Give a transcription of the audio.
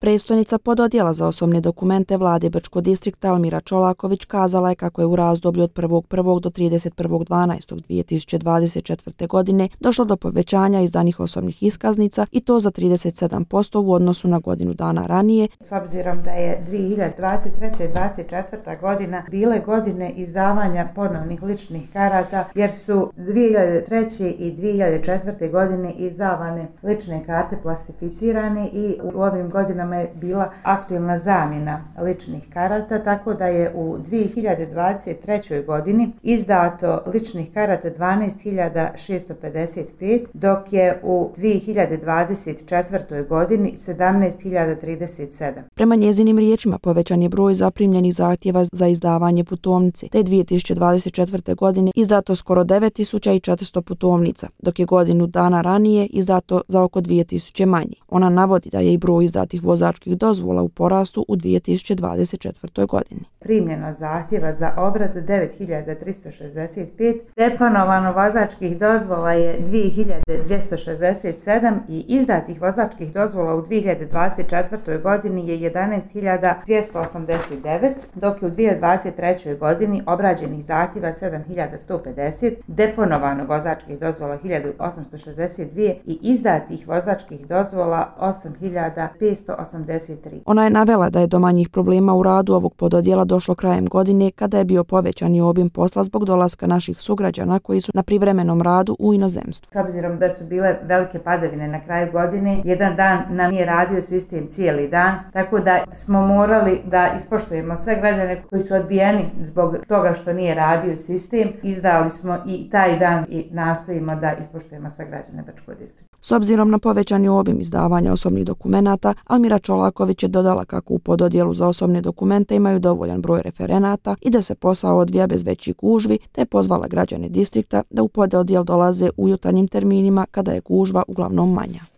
Predstojnica pododjela za osobne dokumente vlade Brčko distrikta Almira Čolaković kazala je kako je u razdoblju od 1.1. do 31.12.2024. godine došlo do povećanja izdanih osobnih iskaznica i to za 37% u odnosu na godinu dana ranije. S obzirom da je 2023. i 2024. godina bile godine izdavanja ponovnih ličnih karata, jer su 2003. i 2004. godine izdavane lične karte plastificirane i u ovim godinama je bila aktualna zamjena ličnih karata, tako da je u 2023. godini izdato ličnih karata 12.655, dok je u 2024. godini 17.037. Prema njezinim riječima povećan je broj zaprimljenih zahtjeva za izdavanje putovnice, te 2024. godine izdato skoro 9.400 putovnica, dok je godinu dana ranije izdato za oko 2.000 manje. Ona navodi da je i broj izdatih vozačkih dozvola u porastu u 2024. godini. Primljeno zahtjeva za obradu 9.365, deponovano vozačkih dozvola je 2.267 i izdatih vozačkih dozvola u 2024. godini je 11.289, dok je u 2023. godini obrađenih zahtjeva 7.150, deponovano vozačkih dozvola 1.862 i izdatih vozačkih dozvola 8.583. Ona je navela da je do manjih problema u radu ovog pododjela došlo krajem godine kada je bio povećani obim posla zbog dolaska naših sugrađana koji su na privremenom radu u inozemstvu. S obzirom da su bile velike padavine na kraju godine, jedan dan nam nije radio sistem cijeli dan, tako da smo morali da ispoštujemo sve građane koji su odbijeni zbog toga što nije radio sistem. Izdali smo i taj dan i nastojimo da ispoštujemo sve građane Brčkog distrikta. S obzirom na povećani obim izdavanja osobnih dokumenata, Almira Čolaković je dodala kako u pododjelu za osobne dokumente imaju dovoljan broj referenata i da se posao odvija bez većih gužvi, te je pozvala građane distrikta da u pododjel dolaze u jutarnjim terminima kada je gužva uglavnom manja.